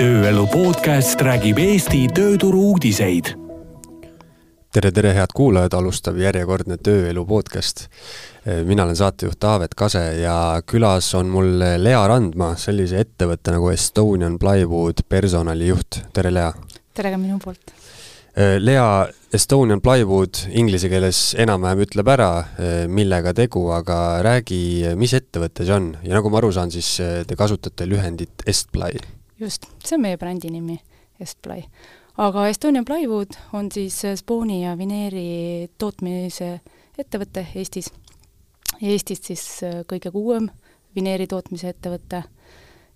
Tööelu podcast räägib Eesti tööturu uudiseid. Tere, head kuulajad, alustab järjekordne Tööelu podcast. Mina olen saatejuht Taavet Kase ja külas on mul Lea Randma, sellise ettevõtte nagu Estonian Plywood personalijuht. Tere, Lea! Tere ka minu poolt. Lea, Estonian Plywood inglise keeles enam-vähem ütleb ära, millega tegu, aga räägi, mis ettevõte see on. Ja nagu ma aru saan, siis te kasutate lühendit Estply. Just, see on meie brändi nimi, Estply. Aga Estonian Plywood on siis spooni ja vineeri tootmise ettevõte Eestis. Eestis siis kõige uuem vineeri tootmise ettevõte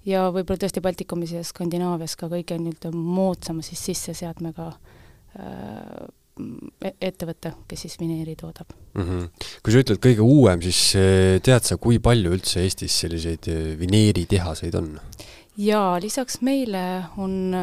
ja võib-olla tõesti Baltikumis ja Skandinaavias ka kõige moodsama siis sisseseadmega ettevõte, kes siis vineeri toodab. Kui sa ütled kõige uuem, siis tead sa, kui palju üldse Eestis selliseid vineeritehaseid on? Ja lisaks meile on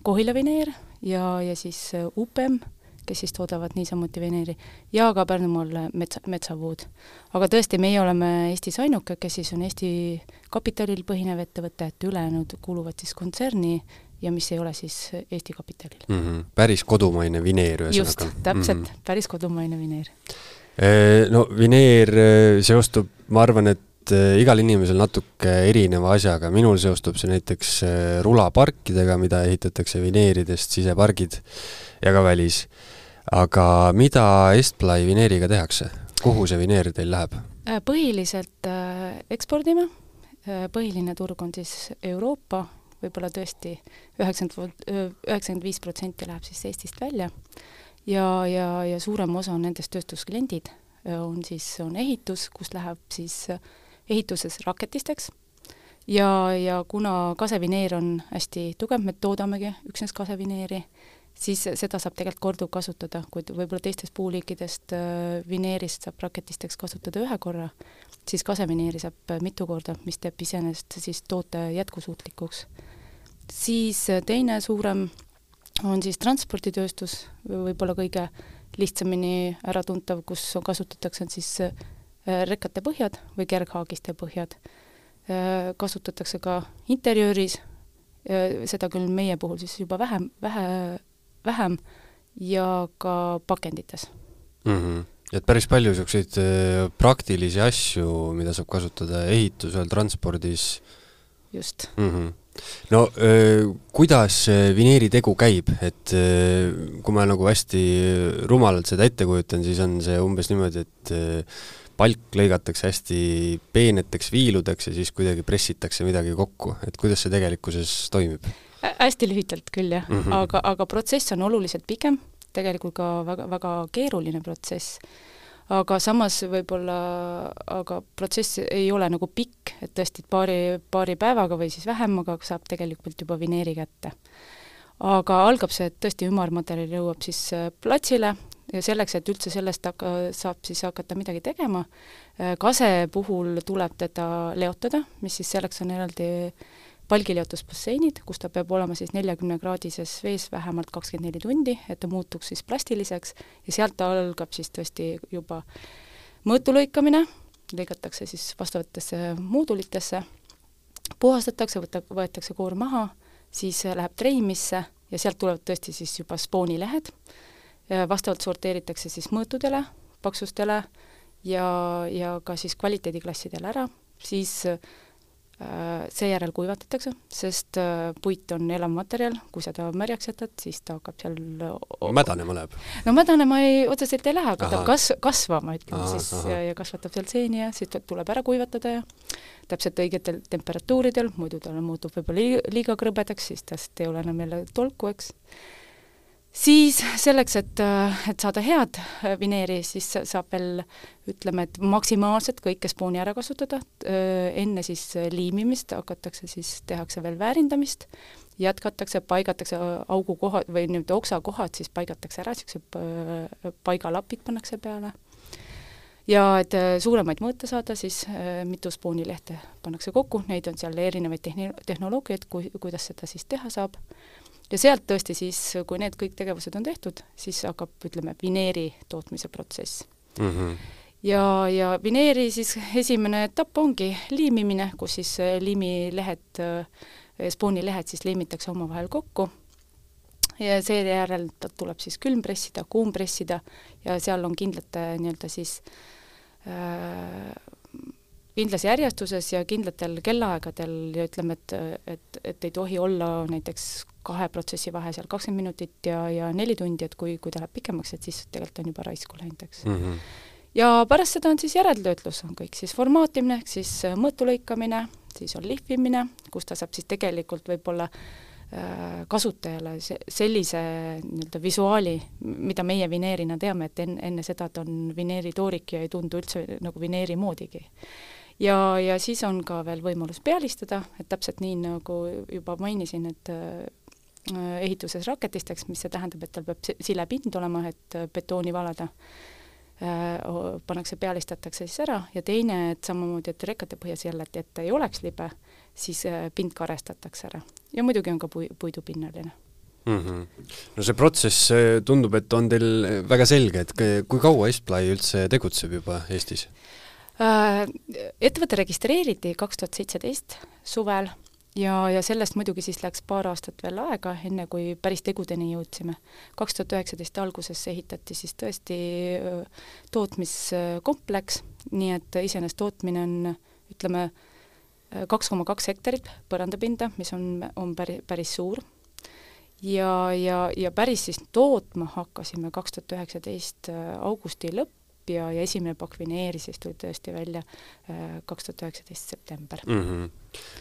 Kohila vineer ja siis UPM, kes siis toodavad niisamuti vineeri, ja ka Pärnumaal Metsawood. Aga tõesti, meie oleme Eestis ainuke, kes siis on Eesti kapitalil põhinev ettevõte, et ülejäänud kuuluvad siis kontserni ja mis ei ole siis Eesti kapitalil. Päris kodumaine vineer. Just, täpselt, päris kodumaine vineer. No vineer seostub, ma arvan, et igal inimesel natuke erineva asjaga. Minul seostub see näiteks rulaparkidega, mida ehitatakse vineeridest, sisepargid ja ka välis. Aga mida Estply vineeriga tehakse? Kuhu see vineer teil läheb? Põhiliselt ekspordime. Põhiline turg on siis Euroopa, võib-olla tõesti 95% läheb siis Eestist välja ja suurem osa on nendest tööstuskliendid on ehitus, kus läheb siis ehituses raketisteks ja kuna kasevineer on hästi tugev, me toodamegi üksnes kasevineeri, siis seda saab tegelikult korduv kasutada, kuid võib-olla teistest puuliikidest vineerist saab raketisteks kasutada ühe korra, siis kasevineeri saab mitu korda, mis teeb iseenesest siis toote jätkusuutlikuks. Siis teine suurem on siis transporditööstus, võib-olla kõige lihtsamini äratuntav, kus kasutatakse siis rekkate põhjad või kerghaagiste põhjad. Kasutatakse ka interjööris, seda küll meie puhul siis juba vähem ja ka pakendites. Et päris palju selliseid praktilisi asju, mida saab kasutada ehitusel, transpordis. Just. No kuidas vineeri tegu käib, et kui ma nagu hästi rumalalt seda ette kujutan, siis on see umbes niimoodi, et palk lõigatakse hästi peeneteks viiludeks ja siis kuidagi pressitakse midagi kokku, et kuidas see tegelikkuses toimib? Hästi lühitalt küll, jah. Aga protsess on oluliselt pikem, tegelikult ka väga, väga keeruline protsess. Aga samas aga protsess ei ole nagu pikk, et tõesti paari päevaga või siis vähem, aga saab tegelikult juba vineeri kätte. Aga algab see, et tõesti ümarmaterjal jõuab siis platsile ja selleks, et üldse sellest saab siis hakata midagi tegema. Kase puhul tuleb teda leotada, mis siis selleks on eraldi palgileotusbasseinid, kus ta peab olema siis 40-kraadises vees vähemalt 24 tundi, et ta muutuks siis plastiliseks ja sealt algab siis tõesti juba mõõtulõikamine, lõigatakse siis vastavatesse moodulitesse, puhastatakse, võetakse koor maha, siis läheb treimisse ja sealt tulevad tõesti siis juba spoonilehed, vastavalt sorteeritakse siis mõõtudele, paksustele ja ka siis kvaliteediklassidele ära, siis seejärel kuivatatakse, sest puit on elav materjal, kui seda märjaks jätad, siis ta hakkab seal mädanema läheb? No mädanema otseselt ei lähe, aga ta kasvama, ütleme siis, ja kasvatab seal seeni ja siis tuleb ära kuivatada ja täpselt õigetel temperatuuridel, muidu ta muutub võib-olla liiga krõbedaks, siis tast ei ole enam jälle tolku, eks. Siis selleks, et saada head vineeri, siis saab veel, ütleme, et maksimaalselt kõike spooni ära kasutada. Enne siis liimimist hakatakse siis, tehakse veel väärindamist, jätkatakse, paigatakse augukohad või oksakohad, siis paigatakse ära, paigalapid pannakse peale. Ja et suuremaid mõõte saada, siis mitu spoonilehte pannakse kokku, neid on seal erinevaid tehnoloogiaid, kuidas seda siis teha saab. Ja sealt tõesti siis, kui need kõik tegevused on tehtud, siis hakkab, ütleme, vineeri tootmise protsess. Ja vineeri siis esimene etapp ongi liimimine, kus siis liimilehed spoonilehed siis liimitakse omavahel kokku ja seejärel tuleb siis külmpressida, kuumpressida ja seal on kindlate nii-öelda siis kindlas järjestuses ja kindlatel kellaaegadel ja ütleme, et ei tohi olla näiteks 2 protsessi vahe seal 20 minutit ja 4 tundi, et kui ta läheb pikemaks, et siis tegelikult on juba raisku läinud, eks. Ja pärast seda on siis järeltöötlus, on kõik siis formaatimine, siis mõõtu lõikamine, siis on lihvimine, kus ta saab siis tegelikult võib-olla kasutajale sellise nii-öelda visuaali, mida meie vineerina teame, et enne seda ta on vineeritoorik ja ei tundu üldse nagu vineeri moodigi. Ja siis on ka veel võimalus pealistada, et täpselt nii, nagu juba mainisin, et ehituses raketisteks, mis see tähendab, et tal peab silepind olema, et betooni valada, pannakse, pealistatakse siis ära ja teine, et samamoodi, et rekate põhjas jälle, et ei oleks libe, siis pind karestatakse ära. Ja muidugi on ka puidupinnaline. No see protsess tundub, et on teil väga selge, et kui kaua Estply üldse tegutseb juba Eestis? Ettevõte registreeriti 2017 suvel ja sellest muidugi siis läks paar aastat veel aega, enne kui päris tegudeni jõudsime. 2019 alguses ehitati siis tõesti tootmiskompleks, nii et iseenesest tootmine on, ütleme, 2,2 hektarit põrandapinda, mis on päris suur. Ja päris siis tootma hakkasime 2019 augusti lõpp ja esimene pakk vineeri siis tuli tõesti välja 2019 september.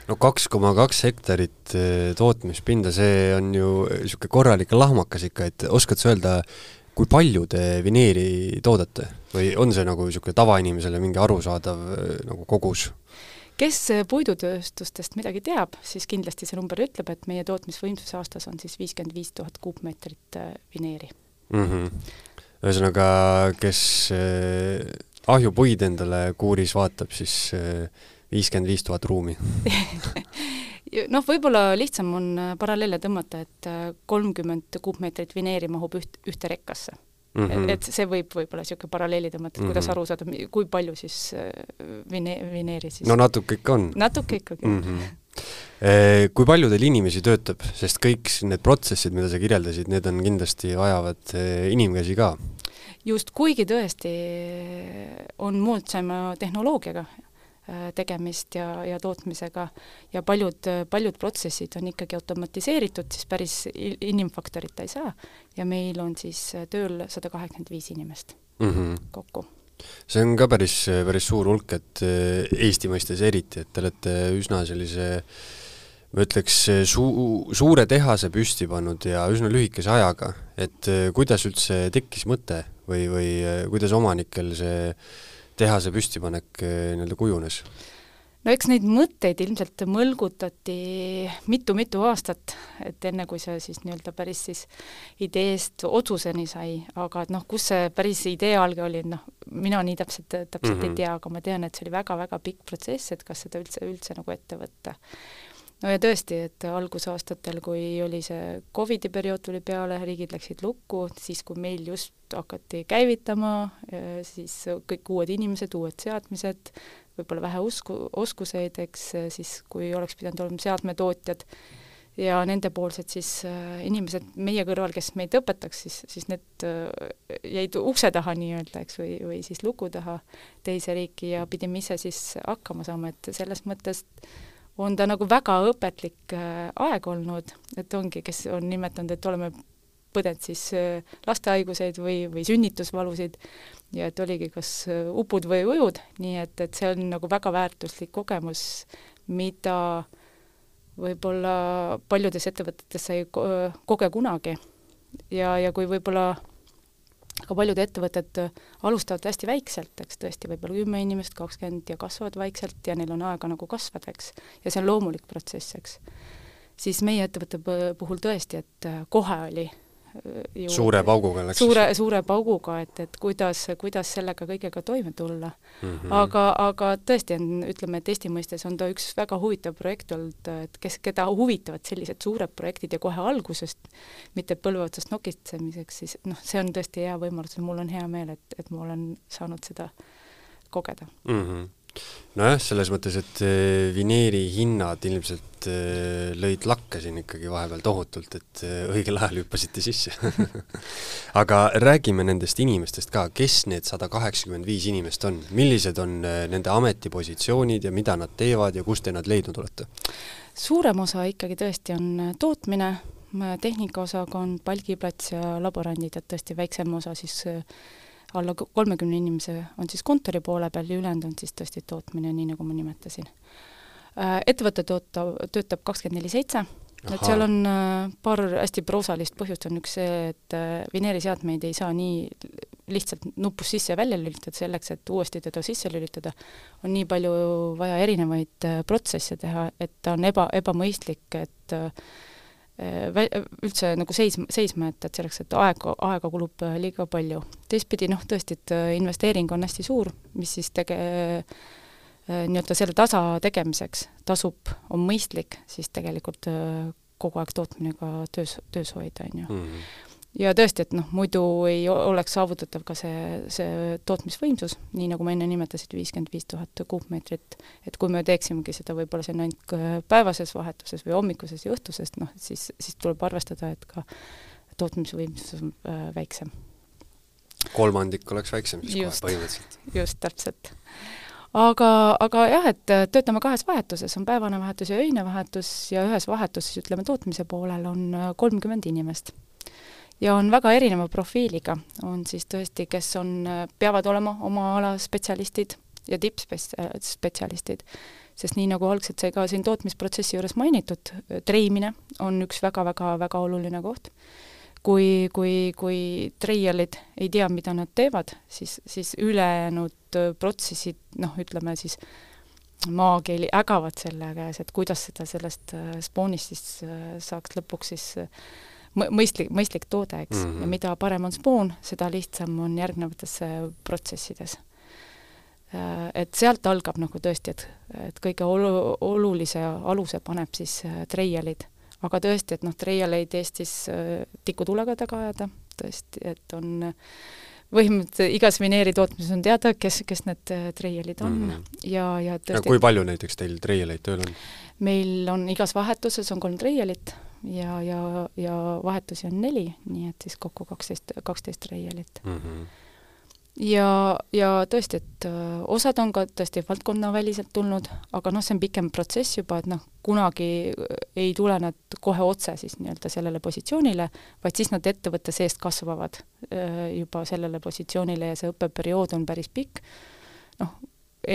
No 2,2 hektarit tootmispinda, see on ju niisugune korralik lahmakas ikka, et oskad sa öelda, kui palju te vineeri toodate? Või on see nagu niisugune tavainimesele mingi arusaadav nagu kogus? Kes puidutööstustest midagi teab, siis kindlasti see number ütleb, et meie tootmisvõimsus aastas on siis 55 000 kuupmeetrit vineeri. Ühesõnaga, kes ahjupuid endale kuuris vaatab, siis 55 000 ruumi. Noh, võib-olla lihtsam on paralleele tõmmata, et 30 kuupmeetrit vineeri mahub ühte rekkasse. Et see võib-olla niisugune paralleeli tõmmata, et kuidas aru saada, kui palju siis vineeri siis. No natuke ikka on. Natuke ikkagi. Kui palju teil inimesi töötab, sest kõik need protsessid, mida sa kirjeldasid, need on kindlasti vajavad inimkäsi ka? Just, kuigi tõesti on moodsama tehnoloogiaga tegemist ja tootmisega ja paljud protsessid on ikkagi automatiseeritud, siis päris inimfaktorit ei saa ja meil on siis tööl 185 inimest kokku. See on ka päris suur hulk, et Eesti mõistes eriti, et te olete üsna sellise, ma ütleks, suure tehase püsti pannud ja üsna lühikese ajaga, et kuidas üldse tekkis mõte või kuidas omanikel see tehase püstipanek nii-öelda kujunes? No eks neid mõtteid ilmselt mõlgutati mitu aastat, et enne kui see siis nii-öelda päris siis ideest otsuseni sai, aga kus see päris idee alge oli, mina nii täpselt ei tea, aga ma tean, et see oli väga-väga pikk protsess, et kas seda üldse nagu ette võtta. No ja tõesti, et algusaastatel, kui oli see Covidi periood tuli peale, riigid läksid lukku, siis kui meil just hakati käivitama, siis kõik uued inimesed, uued seadmised, võib-olla vähe oskuseid, eks siis kui oleks pidanud olema seadmetootjad ja nendepoolsed siis inimesed meie kõrval, kes meid õpetaks, siis need jäid ukse taha nii-öelda, eks, või siis luku taha teise riiki ja pidime ise siis hakkama saama, et selles mõttes on ta nagu väga õpetlik aeg olnud, et ongi, kes on nimetanud, et oleme põdend siis lastehaiguseid või sünnitusvalusid ja et oligi kas upud või ujud, nii et see on nagu väga väärtuslik kogemus, mida võib-olla paljudes ettevõtetes ei koge kunagi ja kui võib-olla aga paljud ettevõtted alustavad hästi väikselt, eks tõesti võib-olla 10 inimest, 20 ja kasvavad vaikselt ja neil on aega nagu kasvada, eks, ja see on loomulik protsess, eks. Siis meie ettevõtte puhul tõesti, et kohe oli ju suure pauguga läks. Suure pauguga, et kuidas sellega kõigega toime tulla. Aga tõesti on, ütleme, et Eesti mõistes on ta üks väga huvitav projekt olnud, et keda huvitavad sellised suured projektid ja kohe algusest, mitte põlveotsast nokitsemiseks, siis see on tõesti hea võimalus ja mul on hea meel, et ma olen saanud seda kogeda. Nojah, selles mõttes, et vineeri hinnad ilmselt lõid lakke siin ikkagi vahepeal tohutult, et õigel ajal hüppasite sisse. Aga räägime nendest inimestest ka, kes need 185 inimest on? Millised on nende ametipositsioonid ja mida nad teevad ja kus te nad leidnud olete? Suurem osa ikkagi tõesti on tootmine, tehnikaosakond, palgiplats ja laborandid, et tõesti väiksem osa siis alla 30 inimese on siis kontori poole peal ja ülejäänud on siis tõesti tootmine, nii nagu ma nimetasin. Ettevõte töötab 24/7, et seal on paar hästi proosalist põhjust, on üks see, et vineeriseadmeid ei saa nii lihtsalt nupus sisse ja välja lülitada, selleks, et uuesti teda sisse lülitada, on nii palju vaja erinevaid protsesse teha, et ta on ebamõistlik, et üldse nagu seisma, et selleks, et aega kulub liiga palju. Teistpidi, tõesti, et investeering on hästi suur, mis siis nii-öelda selle tasa tegemiseks tasub, on mõistlik, siis tegelikult kogu aeg tootmine ka töös hoida, on ju. Mm-hmm. Ja tõesti, et muidu ei oleks saavutatav ka see tootmisvõimsus, nii nagu ma enne nimetasid, 55 000 kuupmeetrit, et kui me teeksimegi seda võib-olla see ainult päevases vahetuses või hommikuses ja õhtusest, siis tuleb arvestada, et ka tootmisvõimsus on väiksem. Kolmandik oleks väiksem siis kohe põhimõtteliselt. Just, täpselt. Aga jah, et töötame kahes vahetuses, on päevane vahetus ja öine vahetus ja ühes vahetuses, ütleme, tootmise poolel on 30 inimest. Ja on väga erineva profiiliga, on siis tõesti, kes peavad olema oma ala spetsialistid ja tippspetsialistid, sest nii nagu algselt sai ka siin tootmisprotsessi juures mainitud, treimine on üks väga-väga-väga oluline koht. Kui treialid ei tea, mida nad teevad, siis ülejäänud protsessid, ütleme siis maakeeli ägavad selle käes, et kuidas seda sellest spoonist siis saaks lõpuks siis mõistlik toode, eks. Mm-hmm. Ja mida parem on spoon, seda lihtsam on järgnevates protsessides. Et sealt algab tõesti, et kõige olulise aluse paneb siis treialid. Aga tõesti, et treialeid Eestis tikutulega taga ajada, tõesti, et on põhimõtteliselt igas vineeri tootmises on teada, kes need treialid on. Mm-hmm. Ja tõesti, kui palju näiteks teil treialeid tööl on? Meil on igas vahetuses on 3 treialit ja vahetusi on 4, nii et siis kokku 12 treialit. Mm-hmm. Ja tõesti, et osad on ka tõesti valdkonnaväliselt tulnud, aga see on pikem protsess juba, et kunagi ei tule nad kohe otse siis nii-öelda sellele positsioonile, vaid siis nad ettevõtte seest kasvavad juba sellele positsioonile ja see õppeperiood on päris pikk,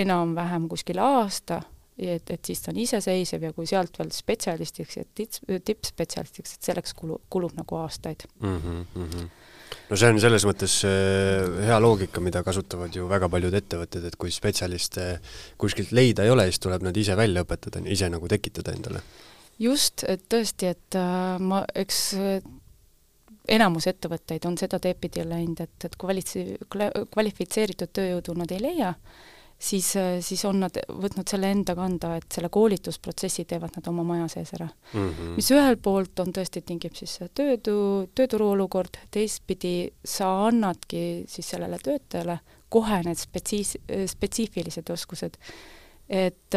enam-vähem kuskil aasta, et siis ta on iseseisev ja kui sealt veel spetsialistiks ja tippspetsialistiks, et selleks kulub nagu aastaid. Mm-hmm. No see on selles mõttes hea loogika, mida kasutavad ju väga paljud ettevõtted, et kui spetsialiste kuskilt leida ei ole, siis tuleb nad ise välja õpetada, ise nagu tekitada endale. Just, et tõesti, et eks enamus ettevõtteid on seda teepidi läinud, et kvalifitseeritud tööjõudu nad ei leia, siis on nad võtnud selle enda kanda, et selle koolitusprotsessi teevad nad oma maja sees ära. Mm-hmm. Mis ühel poolt on tõesti tingib siis tööturu olukord, teistpidi sa annadki siis sellele töötajale kohe need spetsiifilised oskused, et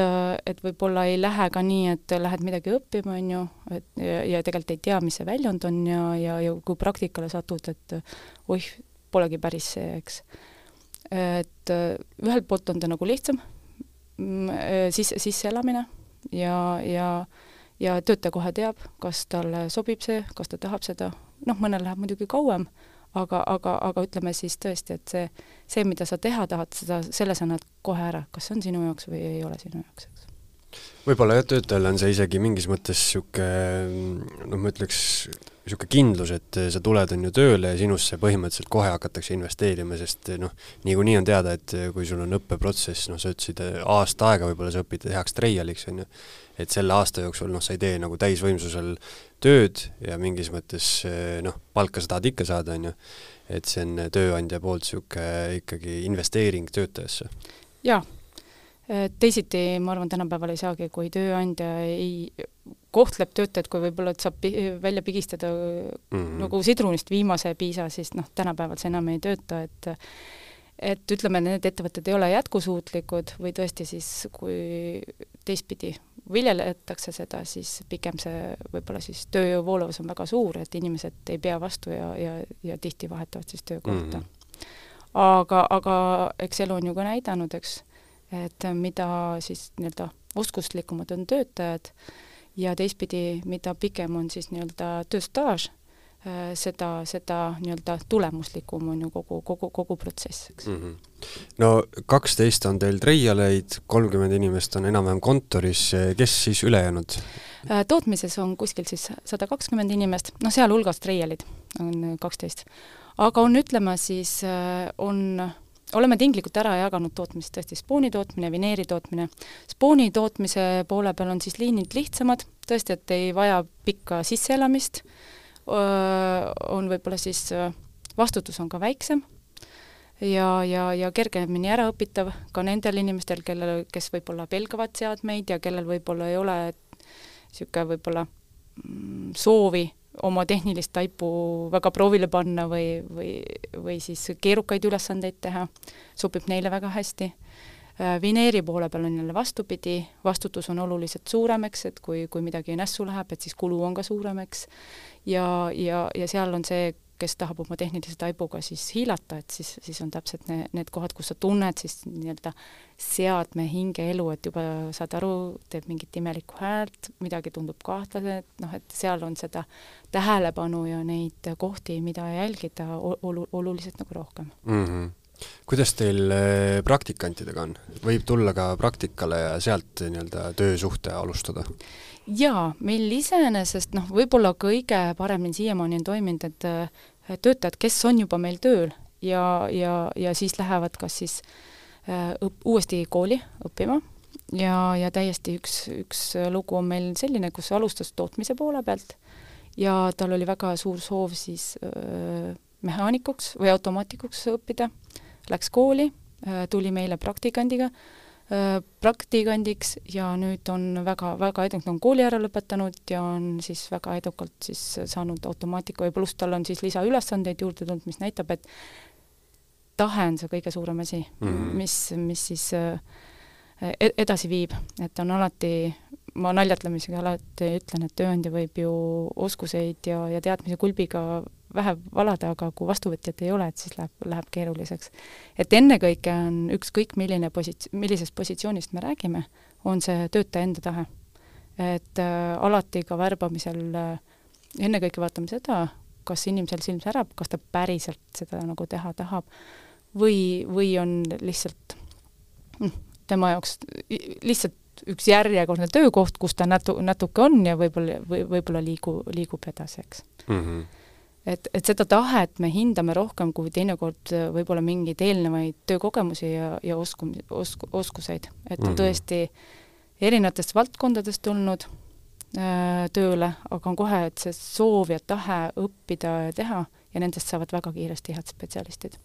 võib-olla ei lähe ka nii, et lähed midagi õppima, on ju, ja tegelikult ei tea, mis see väljund on ja kui praktikale satud, et polegi päris see, eks. Et ühelt poolt on ta nagu lihtsam sisseelamine ja töötaja kohe teab, kas talle sobib see, kas ta tahab seda, mõnel läheb muidugi kauem, aga ütleme siis tõesti, et see, mida sa teha tahad, selle sa näed kohe ära, kas see on sinu jaoks või ei ole sinu jaoks, eks. Võib-olla töötajal on see isegi mingis mõttes siuke, ma ütleks, siuke kindlus, et sa tuled on ju tööle ja sinusse põhimõtteliselt kohe hakatakse investeerima, sest niikuinii on teada, et kui sul on õppeprotsess, sa ütlesid aasta aega, võib-olla sa õpid heaks treialiks, on ju, et selle aasta jooksul sa ei tee nagu täisvõimsusel tööd ja mingis mõttes palka sa tahad ikka saada, on ju, et see on tööandja poolt siuke ikkagi investeering töötajasse. Jaa. Teisiti, ma arvan, tänapäeval ei saagi, kui tööandja ei kohtleb töötajad, kui võib-olla saab välja pigistada nagu sidrunist viimase piisa, siis tänapäeval see enam ei tööta, et ütleme, need ettevõtted ei ole jätkusuutlikud või tõesti siis, kui teistpidi viljeletakse seda, siis pigem see võib-olla siis tööjõu voolavus on väga suur, et inimesed ei pea vastu ja tihti vahetavad siis töökohta. Aga eks elu on ju ka näidanud, eks, et mida siis nii-öelda oskuslikumad on töötajad ja teistpidi, mida pikem on siis nii-öelda tööstaaž, seda nii-öelda tulemuslikum on ju kogu protsess, eks. No 12 on teil treialeid, 30 inimest on enam-vähem kontoris, kes siis ülejäänud? Tootmises on kuskil siis 120 inimest, no seal hulgas treialid on 12. Aga on, ütlema siis, oleme tinglikult ära jaganud tootmist, tõesti spooni tootmine, vineeri tootmine. Spooni tootmise poole peal on siis liinid lihtsamad, tõesti, et ei vaja pikka sisseelamist, on võib-olla siis vastutus on ka väiksem ja kergemini äraõpitav ka nendel inimestel, kes võib-olla pelgavad seadmeid ja kellel võib-olla ei ole niisugune võib-olla soovi oma tehnilist taipu väga proovile panna või siis keerukaid ülesandeid teha, sobib neile väga hästi. Vineeri poole peal on jälle vastupidi, vastutus on oluliselt suuremeks, et kui midagi nässu läheb, et siis kulu on ka suuremeks ja seal on see, kes tahab oma tehnilise taibuga siis hiilata, et siis on täpselt need kohad, kus sa tunned siis nii-öelda seadme hingeelu, et juba saad aru, teeb mingit imelikku häält, midagi tundub kahtlase, et seal on seda tähelepanu ja neid kohti, mida jälgida oluliselt nagu rohkem. Kuidas teil praktikantidega on? Võib tulla ka praktikale ja sealt nii-öelda töösuhte alustada? Jaa, meil iseenesest võib-olla kõige paremini siiamaani on toiminud, et töötajad, kes on juba meil tööl ja siis lähevad kas siis uuesti kooli õppima ja täiesti üks lugu on meil selline, kus alustas tootmise poole pealt ja tal oli väga suur soov siis mehaanikuks või automaatikuks õppida, läks kooli, tuli meile praktikandiks ja nüüd on väga edukalt on kooli ära lõpetanud ja on siis väga edukalt siis saanud automaatika ja pluss tal on siis lisaülesandeid juurde tulnud, mis näitab, et tahe on see kõige suurem asi, mis siis edasi viib, et on alati, ma naljatlemisega alati ütlen, et tööandja võib ju oskuseid ja teadmise kulbiga vähe valada, aga kui vastuvõtjat ei ole, et siis läheb keeruliseks. Et ennekõike on ükskõik millisest positsioonist me räägime, on see töötaja enda tahe. Et alati ka värbamisel ennekõike vaatame seda, kas inimesel silm särab, kas ta päriselt seda nagu teha tahab või on lihtsalt tema jaoks lihtsalt üks järjekordne töökoht, kus ta natuke on ja võib-olla liigub edasi, eks. Et seda tahet me hindame rohkem kui teinekord võib-olla mingeid eelnevaid töökogemusi ja oskuseid. Et on tõesti erinevatest valdkondadest tulnud tööle, aga on kohe, et see soov ja tahe õppida ja teha ja nendest saavad väga kiiresti head spetsialistid.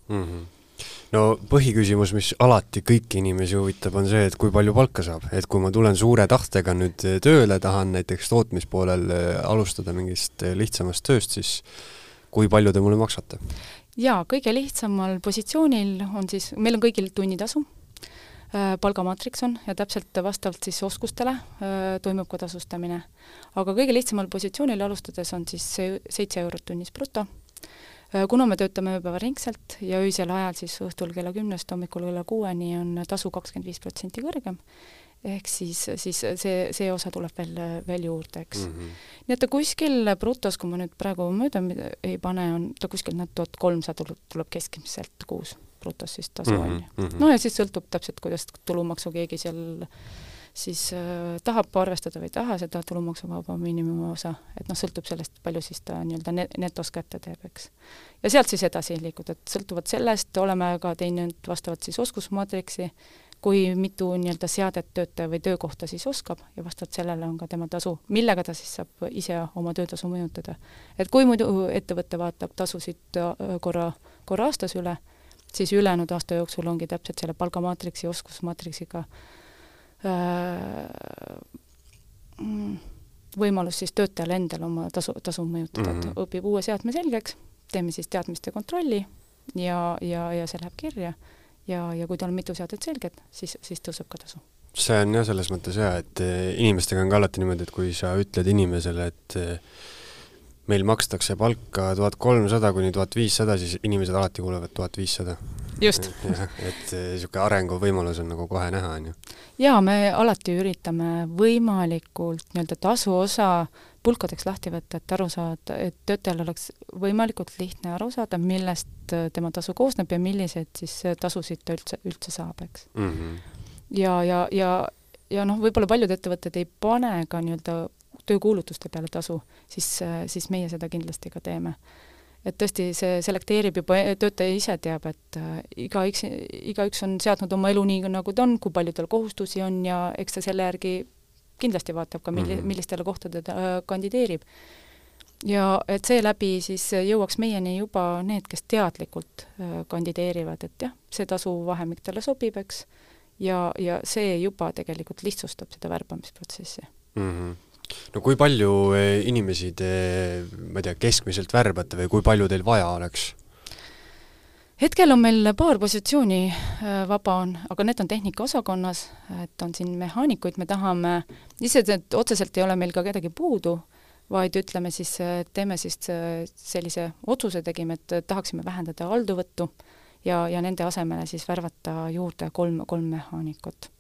No põhiküsimus, mis alati kõiki inimesi huvitab, on see, et kui palju palka saab. Et kui ma tulen suure tahtega nüüd tööle, tahan näiteks tootmispoolel alustada mingist lihtsamast tööst, siis kui palju te mulle maksate? Jaa, kõige lihtsamal positsioonil on siis, meil on kõigil tunnitasu, palgamaatriks on ja täpselt vastavalt siis oskustele toimub ka tasustamine. Aga kõige lihtsamal positsioonil alustades on siis 7 eurot tunnis bruto. Kuna me töötame ööpäevaringselt ja öisel ajal siis õhtul kella 10 hommikul kella 6 on tasu 25% kõrgem, ehk siis see osa tuleb veel juurde, eks. Nii et ta kuskil brutos, kui ma nüüd praegu mööda ei pane, on ta kuskil 1300 tuleb keskmiselt kuus brutos siis tasu on. No ja siis sõltub täpselt, kuidas tulumaksu keegi seal siis tahab arvestada või taha seda tulumaksuvaba miinimumi osa, et sõltub sellest, palju siis ta nii-öelda netos kätte teeb, eks. Ja sealt siis edasi liikuda, et sõltuvad sellest, oleme ka teinud vastavalt siis oskusmaatriksi, kui mitu nii-öelda seadet töötaja või töökohta siis oskab ja vastavalt sellele on ka tema tasu, millega ta siis saab ise oma töötasu mõjutada. Et kui muidu ettevõtte vaatab tasusid korra aastas üle, siis ülejäänud aasta jooksul ongi täpselt selle palgamaatriksi, oskusmaatriksiga võimalus siis töötajal endal oma tasu mõjutada, et õpib uue seadme selgeks, teeme siis teadmiste kontrolli ja see läheb kirja ja kui tal on mitu seadet selged, siis tõuseb ka tasu. See on jah selles mõttes hea, et inimestega on ka alati niimoodi, et kui sa ütled inimesele, et meil makstakse palka 1300 kuni 1500, siis inimesed alati kuulevad 1500. Just. Et siuke arengu võimalus on nagu kohe näha, on ju. Jaa, me alati üritame võimalikult nii-öelda tasu osa pulkadeks lahti võtta, et aru saada, et töötajal oleks võimalikult lihtne aru saada, millest tema tasu koosneb ja milliseid siis tasusid ta üldse saab, eks. Ja noh, võib-olla paljud ettevõtted ei pane ka nii-öelda töökuulutuste peale tasu, siis meie seda kindlasti ka teeme. Et tõesti see selekteerib juba, töötaja ise teab, et igaüks on seadnud oma elu nii, nagu ta on, kui palju tal kohustusi on ja eks ta selle järgi kindlasti vaatab ka, millistele kohtade ta kandideerib. Ja et see läbi siis jõuaks meieni juba need, kes teadlikult kandideerivad, et jah, see tasu vahemik talle sobib, eks, ja see juba tegelikult lihtsustab seda värbamisprotsessi. No kui palju inimesi te, ma ei tea, keskmiselt värbate või kui palju teil vaja oleks? Hetkel on meil paar positsiooni vaba on, aga need on tehnikaosakonnas, et on siin mehaanikuid, me tahame, et otseselt ei ole meil ka kedagi puudu, vaid ütleme siis, teeme siis sellise otsuse tegime, et tahaksime vähendada halduvõttu ja nende asemele siis värvata juurde kolm mehaanikut.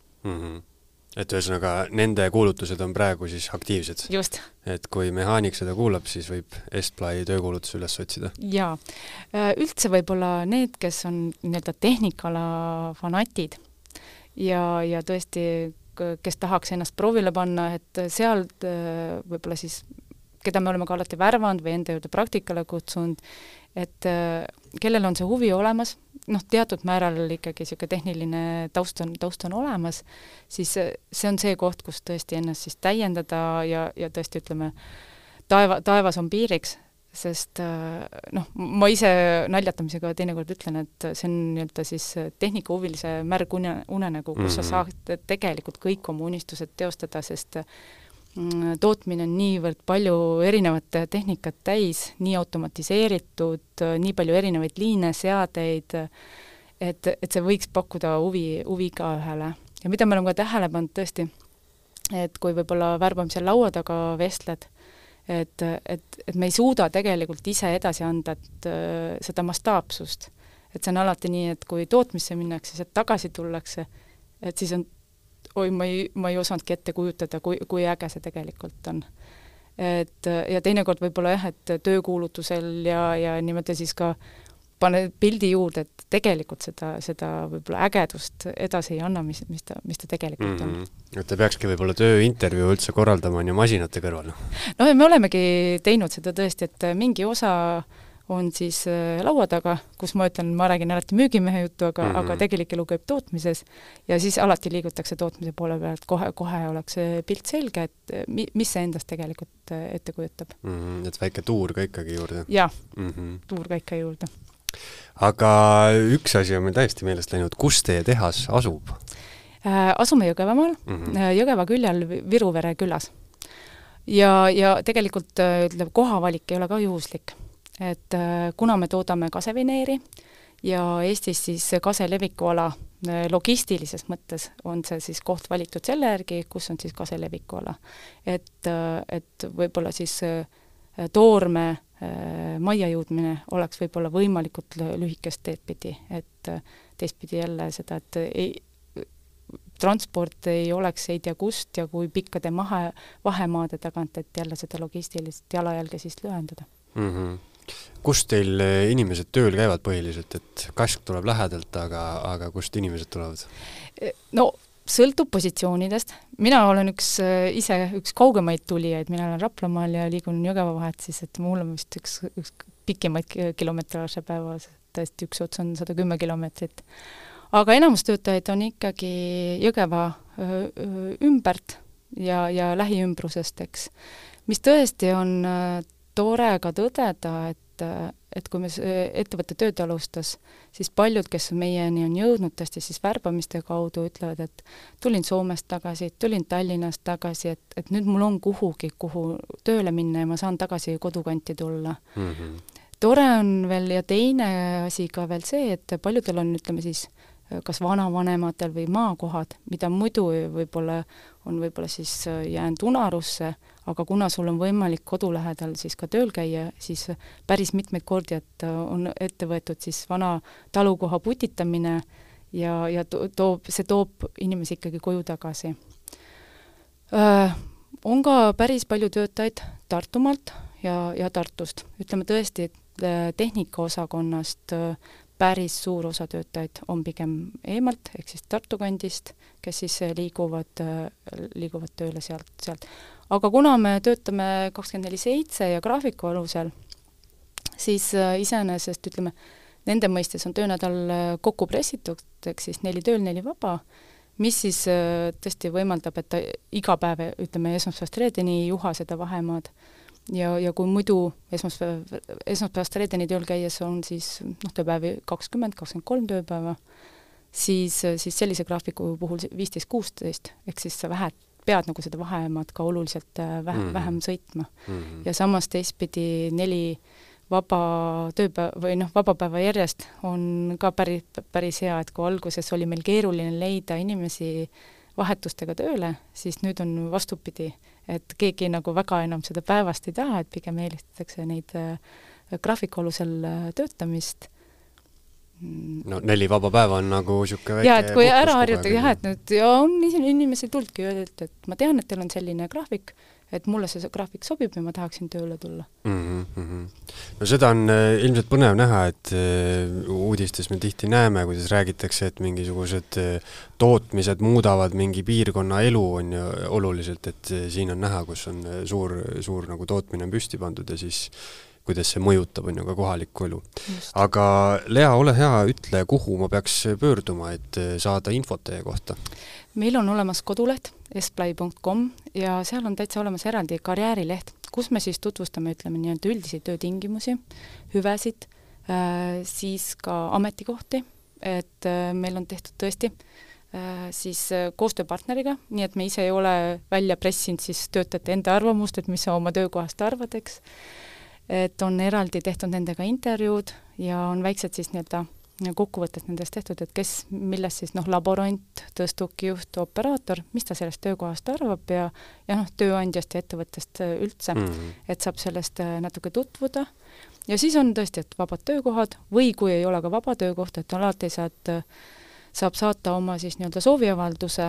Et ühesõnaga, nende kuulutused on praegu siis aktiivsed. Just. Et kui mehaanik seda kuulab, siis võib Estplai töökuulutus üles otsida. Jaa. Üldse võib-olla need, kes on nii-öelda tehnikala fanatid ja tõesti, kes tahaks ennast proovile panna, et sealt võib-olla siis, keda me oleme ka alati värvanud või enda juurde praktikale kutsunud, et kellel on see huvi olemas, noh, teatud määral ikkagi siuke tehniline taust on olemas, siis see on see koht, kus tõesti ennast siis täiendada ja tõesti ütleme, taevas on piiriks, sest noh, ma ise naljatamisega teinekord ütlen, et see on nii-öelda siis tehnikahuvilise märg unenägu, kus sa saad tegelikult kõik oma unistused teostada, sest tootmine on niivõrd palju erinevat tehnikat täis, nii automatiseeritud, nii palju erinevaid liine, seadeid, et see võiks pakkuda huvi ka ühele. Ja mida me oleme ka tähele pannud tõesti, et kui võib-olla värbamisel laua taga vestled, et me ei suuda tegelikult ise edasi anda seda mastaapsust. Et see on alati nii, et kui tootmisse minnakse, sealt tagasi tullakse, et siis on ma ei osanudki ette kujutada, kui äge see tegelikult on. Ja teinekord võib-olla jah, et töökuulutusel ja niimoodi siis ka pane pildi juurde, et tegelikult seda võib-olla ägedust edasi ei anna, mis ta tegelikult on. Et te peakski võib-olla tööintervjuu üldse korraldama on ju masinate kõrval. No me olemegi teinud seda tõesti, et mingi osa on siis laua taga, kus ma ütlen, ma räägin alati müügimehe juttu, aga tegelik elu käib tootmises ja siis alati liigutakse tootmise poole pealt, kohe oleks pilt selge, et mis see endast tegelikult ette kujutab. Et väike tuur ka ikkagi juurde. Jah, tuur ka ikka juurde. Aga üks asi on meil täiesti meelest läinud, kus teie tehas asub? Asume Jõgevamaal, Jõgeva küljal Viruvere külas. Ja tegelikult kohavalik ei ole ka juhuslik. Et kuna me toodame kasevineeri ja Eestis siis kaselevikuala logistilises mõttes on see siis koht valitud selle järgi, kus on siis kaselevikuala. Et võib-olla siis toorme majja jõudmine oleks võib-olla võimalikult lühikest teedpidi, et teistpidi jälle seda, et transport ei oleks ei tea kust ja kui pikkade vahemaade tagant, et jälle seda logistilist jalajälge siis lühendada. Kust teil inimesed tööl käivad põhiliselt, et kask tuleb lähedalt, aga kust inimesed tulevad? No, sõltub positsioonidest. Mina olen üks kaugemaid tulijaid, mina olen Raplamaal ja liigun Jõgeva vahet, siis et mul on vist üks pikimaid kilometraaže päevas, tõesti üks ots on 110 kilomeetrit. Aga enamus töötajaid on ikkagi Jõgeva ümbert ja lähiümbrusest, eks. Mis tõesti on tore ka tõdeda, et kui me ettevõtte tööd alustas, siis paljud, kes meieni on jõudnud tõesti siis värbamiste kaudu, ütlevad, et tulin Soomest tagasi, tulin Tallinnast tagasi, et nüüd mul on kuhu tööle minna ja ma saan tagasi kodukanti tulla. Tore on veel ja teine asi ka veel see, et paljudel on, ütleme siis, kas vanavanematel või maakohad, mida muidu võib-olla on siis jäänud unarusse, aga kuna sul on võimalik kodu lähedal siis ka tööl käia, siis päris mitmeid kordi, et on ette võetud siis vana talukoha putitamine ja see toob inimesi ikkagi koju tagasi. On ka päris palju töötajaid Tartumaalt ja Tartust. Ütleme tõesti, et tehnikaosakonnast päris suur osa töötajaid on pigem eemalt, ehk siis Tartu kandist, kes siis liiguvad tööle sealt. Aga kuna me töötame 24/7 ja graafiku alusel, siis iseenesest, ütleme, nende mõistes on töönädal kokku pressitud, ehk siis 4 tööl, 4 vaba, mis siis tõesti võimaldab, et ta iga päev, ütleme, esmaspäevast reedeni ei juha seda vahemaad. Ja kui muidu esmaspäevast reedeni tööl käies on siis tööpäevi 20-23 tööpäeva, siis sellise graafiku puhul 15-16, ehk siis sa pead nagu seda vahemaad ka oluliselt vähem sõitma. Ja samas teistpidi 4 vaba tööpäeva või vabapäeva järjest on ka päris hea, et kui alguses oli meil keeruline leida inimesi vahetustega tööle, siis nüüd on vastupidi, et keegi nagu väga enam seda päevast ei taha, et pigem eelistatakse neid graafiku alusel töötamist. No 4 vaba päeva on nagu siuke väike... Ja, et kui ära harjutage, et nüüd on inimesi tuldki öeldud, et ma tean, et teil on selline graafik, et mulle see graafik sobib ja ma tahaksin tööle tulla. No seda on ilmselt põnev näha, et uudistes me tihti näeme, kuidas räägitakse, et mingisugused tootmised muudavad mingi piirkonna elu on ju oluliselt, et siin on näha, kus on suur nagu tootmine on püsti pandud ja siis kuidas see mõjutab on ju ka kohalikku elu. Aga Lea, ole hea, ütle, kuhu ma peaks pöörduma, et saada infot teie kohta? Meil on olemas koduleht esplai.com ja seal on täitsa olemas eraldi karjäärileht, kus me siis tutvustame, ütleme nii-öelda üldisi töötingimusi, hüvesid, siis ka ametikohti, et meil on tehtud tõesti siis koostööpartneriga, nii et me ise ei ole välja pressinud siis töötajate enda arvamust, et mis sa oma töökohast arvad, eks. Et on eraldi tehtud nendega intervjuud ja on väiksed siis nii-öelda kokkuvõtted nendest tehtud, et kes, millest siis laborant, tõstukijuht, operaator, mis ta sellest töökohast arvab ja tööandjast ja ettevõttest üldse, et saab sellest natuke tutvuda. Ja siis on tõesti, et vabad töökohad või kui ei ole ka vaba töökoht, et alati saab saata oma siis nii-öelda sooviavalduse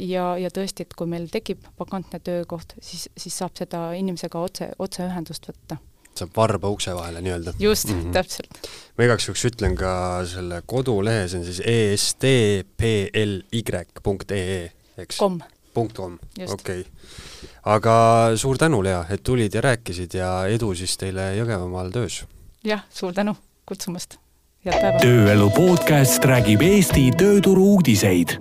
ja tõesti, et kui meil tekib vakantne töökoht, siis saab seda inimesega otse ühendust võtta. Saab varba ukse vahele nii-öelda. Just, täpselt. Ma igaks juhuks ütlen ka selle kodulehe, see on siis estply.ee, eks? .com. Okei. Aga suur tänu, Lea, et tulid ja rääkisid ja edu siis teile Jõgevamaal töös. Jah, suur tänu kutsumast. Head päeva. Tööelu podcast räägib Eesti tööturu uudiseid.